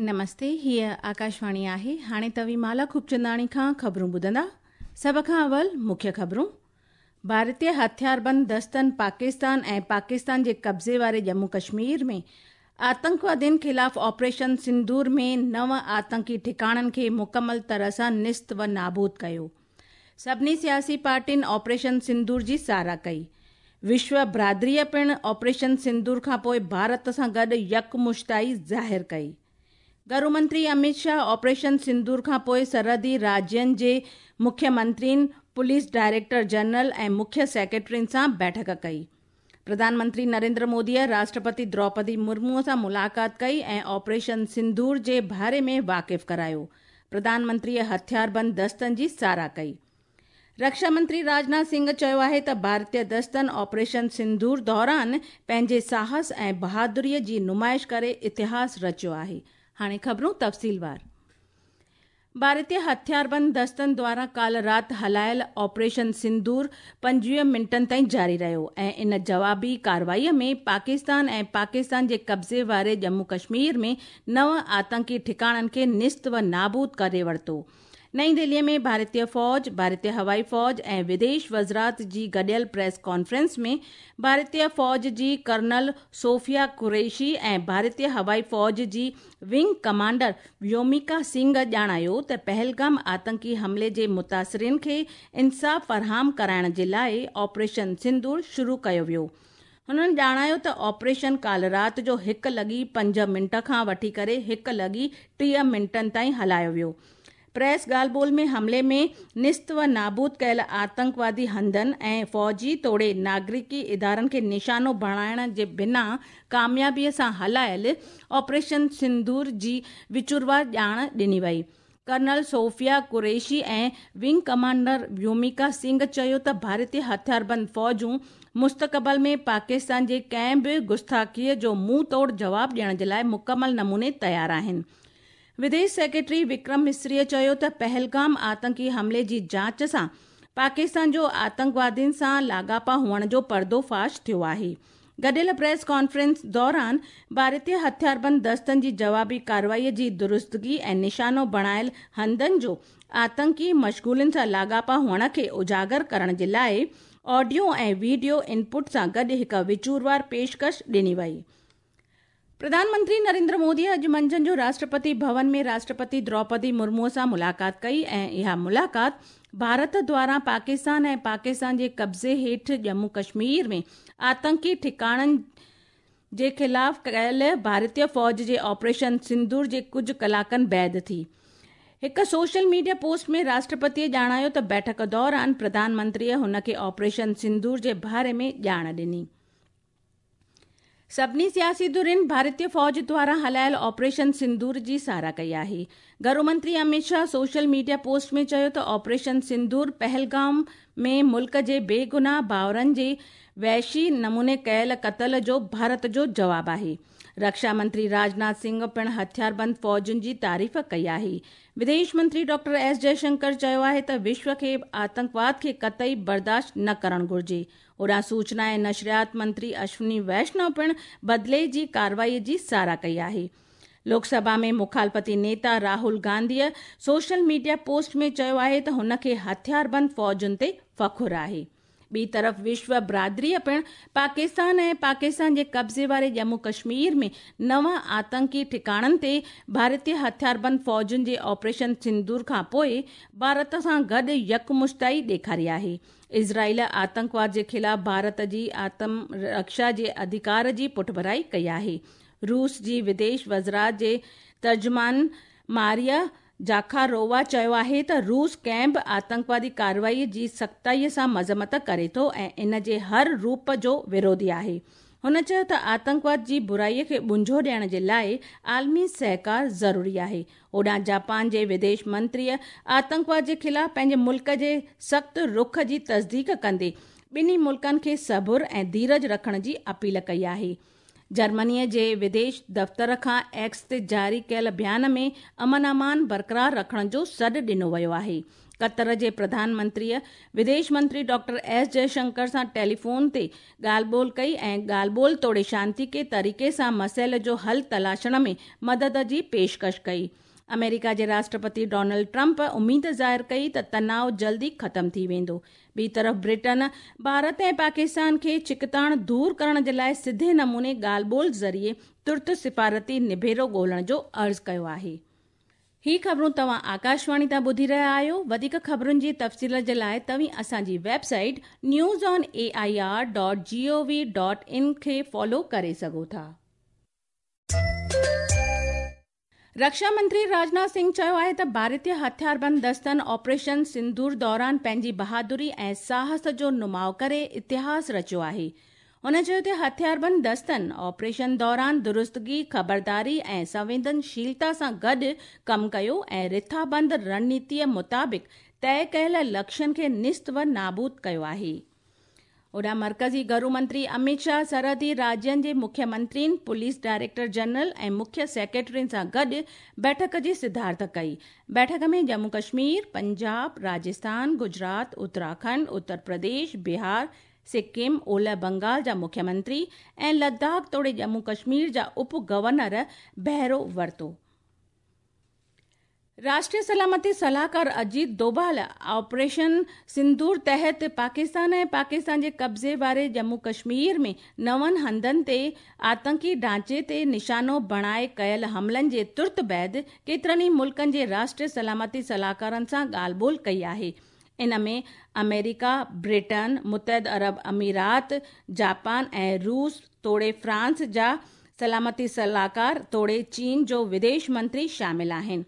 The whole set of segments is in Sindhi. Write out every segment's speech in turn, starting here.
نمستي هيء آڪاشواڻي آهي هاڻي توهين مالا خوبچنداڻي کان خبرون ٻڌندا سڀ کان اول مکيه خبرون ڀارتي هٿياربند دستن پاڪستان ۽ پاڪستان جي قبضي واري ڄمون ڪشمير ۾ آتنڪوادين خلاف آپريشن سندور ۾ نو آتنڪي ٺڪاڻن کي مڪمل طرح سان نست و نابود ڪيو. سڀني سياسي پارٽين آپريشن سندور جي ساراهه ڪئي. وشو برادريء پڻ آپريشن سندور کانپوء ڀارت سان گڏ يڪمشتائي ظاهر ڪئي. گهرو منتري اميت شاهه آپريشن سندور کانپوء سرحدي راجين جي مکيه منترين، پوليس ڊائريڪٽر جنرل ۽ مکيه سيڪريٽرين سان بيٺڪ ڪئي. پرڌان منتري نريندر موديء راشٽرپتي دروپدي مرموء سان ملاقات ڪئي ۽ آپريشن سندور جي باري ۾ واقف ڪرايو. پرڌان منتريء هٿياربند دستن جي ساراهه ڪئي. رڪشا منتري راجناٿ سنگهه چيو آهي ته ڀارتي دستن آپريشن سندور دوران پنهنجي ساهس ۽ بهادريء جي نمائش ڪري اتهاس رچيو آهي. هاڻي خبرون تفصيلوار. ڀارتي هٿياربند دستن دواران ڪالهه رات هلايل آپريشن سندور 25 منٽن تائين جاري رهيو ۽ ان جوابي ڪارروائي ۾ پاڪستان ۽ پاڪستان جي قبضي واري ڄمون ڪشمير ۾ نو آتنڪي ٺڪاڻن کي نست و نابود ڪري ورتو. نئين دهلي ۾ ڀارتي فوج، ڀارتي هوائي فوج ۽ وديش وزارت جي گڏيل پريس ڪانفرنس ۾ ڀارتي فوج جي ڪرنل صوفيا قريشي ۽ ڀارتي هوائي فوج جي ونگ ڪمانڊر ويوميڪا سنگهه ڄاڻايو ته پهلگام آتنڪي حملي جي متاثرين کي انصاف فراهم ڪرائڻ جي لاء آپريشن سندور شروع ڪيو ويو. هنن ڄاڻايو ته آپريشن ڪالهه رات جو هڪ لڳي پنج منٽ کان وٺي ڪري هڪ لڳي 30 منٽن تائين هلايو ويو. پريس ڳالهه ٻولهه ۾ حملي ۾ نست و نابود ڪيل آتنڪوادي هنڌن ۽ فوجي توڙي ناگرڪي ادارن کي نشانو بڻائڻ جي بنا ڪاميابيء سان هلايل آپريشن سندور جي وچوروار ڄاڻ ڏني وئي. Colonel Sofiya Qureshi ۽ wing commander Vyomika Singh چيو ته ڀارتي هٿياربند فوجون مستقبل ۾ پاڪستان جي ڪنهن به گستاخيء جو منهن توڙ جواب ڏيڻ جي لاء مڪمل نموني تيار آهن. وديش سيڪريٽري وڪرم مصريء چيو ته پهلگام آتنڪي حملي جي جاچ سان پاڪستان جو آتنڪوادين سان لاڳاپا هئڻ جو پردو فاش ٿيو آهي. گڏيل پريس ڪانفرنس دوران ڀارتي هٿياربند دستن جي جوابي ڪارروائي جي درستگي ۽ نشانو بڻايل هنڌن جو آتنڪي مشغولين سان لاڳاپا هئڻ کي اجاگر ڪرڻ جي لاء آڊيو ۽ وڊيو انپٽ سان گڏ هڪ وچوروار پيشڪش ڏني وئي. پرڌان منتري نريندر مودي اڄ منجهند جو راشٽرپتي ڀون ۾ راشٽرپتي دروپدي مرمو سان ملاقات ڪئي ۽ اها ملاقات ڀارت دواران پاڪستان ۽ پاڪستان جي قبضي هيٺ ڄمون ڪشمير ۾ آتنڪي ٺڪاڻن جي خلاف ڪيل ڀارتي فوج جي آپريشن سندور جي ڪجهه ڪلاڪن بعد ٿي. هڪ سوشل ميڊيا پوسٽ ۾ راشٽرپتيء ڄاڻايو ته بيٺڪ دوران پرڌان منتريء هن کي آپريشن سندور جي باري ۾ ڄاڻ ڏني. سڀني سياسي ڌرين ڀارتي فوج دواران هلايل آپريشن سندور جي ساراهه ڪئي آهي. گهرو منتري Amit Shah social media post ۾ چيو ته آپريشن سندور پهلگام ۾ ملڪ جي بيگناهه ڀائرن جي وحشي نموني ڪيل قتل جو ڀارت جو جواب آهي. رڪشا منتري راجناٿ سنگهه پڻ هٿياربند فوجن جي تعريف ڪئي آهي. وديش منتري ڊاڪٽر ايس جئشنڪر چيو آهي ته وشو کي آتنڪواد کي قطعي برداشت نه ڪرڻ گهرجي. هوڏانهن سوچنا ۽ نشريات منتري اشوني ويشنو پڻ بدلي جي ڪارروائي جي ساراهه ڪئي آهي. لوڪ سڀا ۾ مخالفتي نيتا راهول گانڌيء سوشل ميڊيا پوسٽ ۾ چيو آهي ته هن کي هٿياربند فوجن تي فخر آهي. ٻي طرف وشو برادريء پڻ پاڪستان ۽ پاڪستان جي قبضي واري ڄمون ڪشمير ۾ نو آتنڪي ٺڪاڻن تي ڀارتي هٿياربند فوجن جي آپريشن سندور کانپوء ڀارت سان گڏ يڪمشتائي ڏيکاري آهي. اسرائيل آتنڪواد جي خلاف ڀارت جي آتم رڪشا جي اڌڪار جي پٺڀرائي ڪئي آهي. روس جي وديش وزارت جي ترجمان ماريا زاخارووا چيو آهي ته روس ڪنهن به آتنڪوادي ڪارروائي جي سختائي سان مذمت ڪري ٿو ۽ ان جي هر روپ جو وروڌي آهي. هن چيو ته آتنڪواد جي برائي کي ٻنجو ڏيڻ جي لاء عالمي سهڪار ضروري آهي. هوڏانهن جاپان جي وديش منتريء آتنڪواد جي خلاف پنهنجي ملڪ جي سخت رخ جي تصديق ڪندي ٻنهي ملڪن کي صبر ۽ ڌيرج رکڻ جي اپيل ڪئي آهي. جرمنيء جي وديش دفتر کان ايڪس تي جاري ڪيل بيان ۾ امن امان برقرار رکڻ جو سڏ ڏنو ويو آهي. قطر جي پرڌان منتريء وديش منتري ڊاڪٽر ايس جئشنڪر سان ٽيليفون تي ڳالهه ٻولهه ڪئي ۽ ڳالهه ٻولهه توڙي شانتيڪي طريقي سان مسئلي جو حل تلاشڻ ۾ مدد جي پيشڪش ڪئي. آمريڪا جي راشٽرپتي ڊونلڊ ٽرمپ اميد ظاهر ڪئي ته تناءُ جلد ئي ختم ٿي ويندو. ٻي طرف برٽن ڀارت ۽ پاڪستان کي ڇڪتاڻ دور ڪرڻ جي لاءِ سڌي نموني ڳالهه ٻولهه ذريعي ترت سفارتي نبيرو ڳولڻ جو عرض ڪيو آهي. هي خبرون توهان آڪاشواڻي تان ٻڌي رهيا آهيو. وڌيڪ خبرن جي تفصيل جي لاءِ توهين اسان جي website news on A I R dot G O V dot in کي فالو ڪري سگهو ٿا. رڪشا منتري راجناٿ سنگهه چيو آهي ته ڀارتيه هٿياربند دستن آپريشن سندور دوران پنهنجي بهادري ۽ ساهس جو نماءُ ڪري اتهاس رچيو آهي. هن چيو ته هٿياربند دستن آپريشن دوران درستگي، خبرداري ۽ سنويدنشيلتا سان گڏ ڪم ڪيو ۽ رٿابند رڻنيتيءَ مطابق طئي ڪيل لڪشين کي نيست و نابود ڪيو آهي. هوڏانهن مرڪزي گهرو منتري امت شاهه سرحدي راجين جي مکيه منترين، پوليس ڊائريڪٽر جنرل ۽ مکيه سيڪريٽرين سان گڏ بيٺڪ جي صدارت ڪئي. بيٺڪ ۾ ڄمون ڪشمير، پنجاب، راجسٿان، گجرات، اتراکنڊ، اتر پرديش، بهار، سڪم، اولهه بنگال جا مکيه منتري ۽ لداخ توڙي ڄمون ڪشمير جا اپ گورنر بهرو ورتو. راشٽريه سلامتي صلاحڪار اجيت دوڀال آپريشن سندور تحت پاڪستان ۽ پاڪستان جي قبضي واري ڄمون ڪشمير ۾ نون هنڌن تي آتنڪي ڍانچي تي نشانو بڻائي ڪيل حملن جي ترت بعد ڪيترن ئي ملڪن جي راشٽريه سلامتي صلاحڪارن سان ڳالهه ٻولهه ڪئي آهي. ان ۾ آمريڪا، برٽن، متحده عرب امارات، جاپان ۽ روس توڙي فرانس جا سلامتي صلاحڪار توڙي چين جو وديش منتري شامل آهن.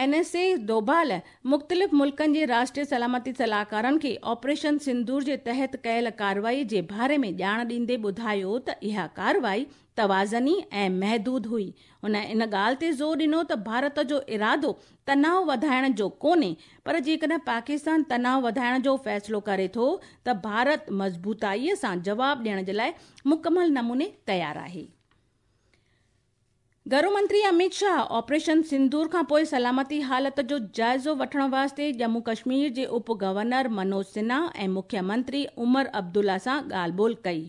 اين ايس اي دوڀال مختلف ملڪن جي راشٽريه سلامتي صلاحڪارن کي آپريشن سندور جي تحت ڪيل ڪارروائي جي باري ۾ ڄاڻ ڏيندي ٻڌايو ته اها ڪارروائي توازني ۽ محدود هئي. هن ان ڳالهه تي زور ڏنو ته ڀارت جو ارادو تناءُ وڌائڻ جو ڪونهي، پر جيڪڏهن پاڪستان تناءُ وڌائڻ جو فيصلو ڪري ٿو ته ڀارت مضبوطائيءَ سان جواب ڏيڻ جي لاءِ مڪمل نموني تيار آهي. گهرو منتري امت شاهه آپريشن سندور کان پوءِ سلامتي حالت جو جائزو وٺڻ واسطي ڄمون ڪشمير جي اپ گورنر منوج سنها ۽ مکيه منتري عمر عبدالله سان ڳالهه ٻولهه ڪئي.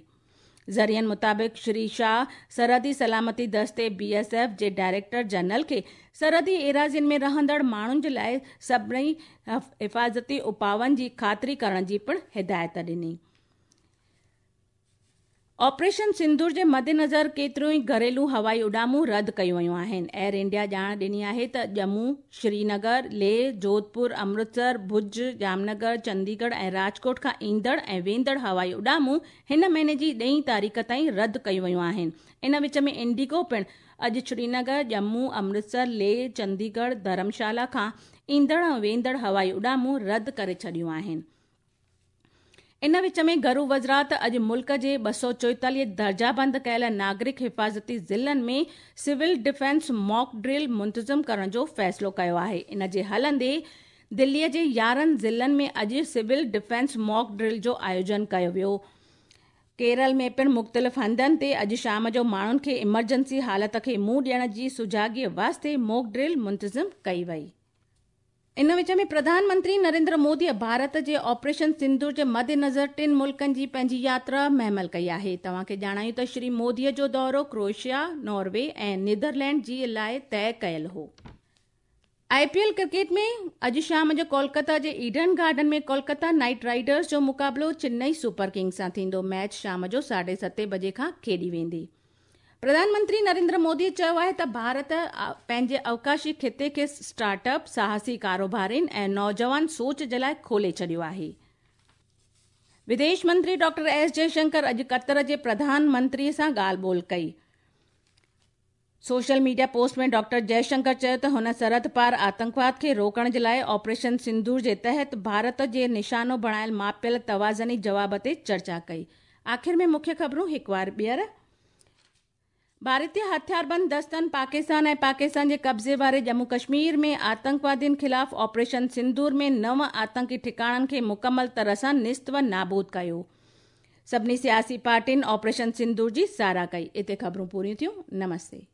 ذريعن مطابق شري شاهه سرحدي سلامتي دستي بي ايس ايف جي ڊائريڪٽر جنرل کي سرحدي ايراضين ۾ رهندڙ ماڻهن جي لاءِ سڀني حفاظتي اپائن جي خاطري ڪرڻ جي پڻ هدايت ڏني. آپريشن سندور جي مدنظر ڪيتريون ئي گهريلو هوائي اڏامون رد ڪيون ويون آهن. ايئر انڊيا ڄاڻ ڏني آهي ته ڄمون، شرينگر، ليهه، جوڌپور، امرتسر، ڀڄ، ڄامنگر، چنديڳڙهه ۽ راجڪوٽ کان ايندڙ ۽ ويندڙ هوائي اڏامون هن مهيني جي 10 تاريخ تائين رد ڪيون ويون آهن. ان وچ ۾ انڊيگو پڻ اڄ شرينگر، ڄمون، امرتسر، ليهه، چنديڳڙهه، ڌرمشالا کان ايندڙ ۽ ويندڙ هوائي اڏامون رد ڪري ڇڏيون آهن. ان وچ ۾ گهرو وزارت اڄ ملڪ جي 244 درجابند ڪيل ناگرڪ حفاظتي ضلعن ۾ سول ڊفينس ماڪ ڊرل منتظم ڪرڻ جو فيصلو ڪيو آهي. ان جي هلندي دليءَ جي 11 ضلعن ۾ اڄ سول ڊفينس ماڪ ڊرل جو آيوجن ڪيو ويو. ڪيرل ۾ پڻ مختلف هنڌن تي اڄ شام جو ماڻهن کي ايمرجنسي حالت کي منهن ڏيڻ جي سجاڳيءَ واسطي ماڪ ڊرل منتظم ڪئي وئي. ان وچ ۾ پرڌان منتري نريندر موديءَ ڀارت جي آپريشن سندور جي مدنظر 3 ملڪن جي پنهنجي ياترا مهمل ڪئي آهي. توهان کي ڄاڻايون ته شري موديءَ جو دورو ڪروئيشيا، ناروي ۽ نيدرلينڊ جي لاءِ طئي ڪيل هو. I P L cricket ۾ اڄ شام جو ڪولڪتا جي Eden Garden ۾ Kolkata Knight Riders جو مقابلو چنئي سپر ڪنگز سان ٿيندو. ميچ شام جو 7:30 بجي کان کيڏي ويندي. پرڌان منتري نريندر موديءَ چيو آهي ته ڀارت پنهنجي اوڪاشي خطي کي اسٽارٽ اپ، ساهسي ڪاروبارين ۽ نوجوان سوچ جي لاءِ کولي ڇڏيو آهي. وديش منتري ڊاڪٽر ايس جئشنڪر اڄ قطر جي پرڌان منتري سان ڳالهه ٻولهه ڪئي. سوشل ميڊيا پوسٽ ۾ ڊاڪٽر جئشنڪر چيو ته هن سرحد پار آتنڪواد کي روڪڻ جي لاءِ آپريشن سندور جي تحت ڀارت جي نشانو بڻايل ماپيل توازني جواب تي چرچا ڪئي. آخر ۾ مکيه خبرون هڪ وار ٻيهر. ڀارتيه هٿياربند دستن پاڪستان ۽ پاڪستان جي قبضي واري ڄمون ڪشمير ۾ آتنڪوادين خلاف آپريشن سندور ۾ 9 آتنڪي ٺڪاڻن کي مڪمل طرح سان نيست و نابود ڪيو. سڀني سياسي پارٽين آپريشن سندور جي ساراهه ڪئي. اتي خبرون پوريون ٿيون. نمستي.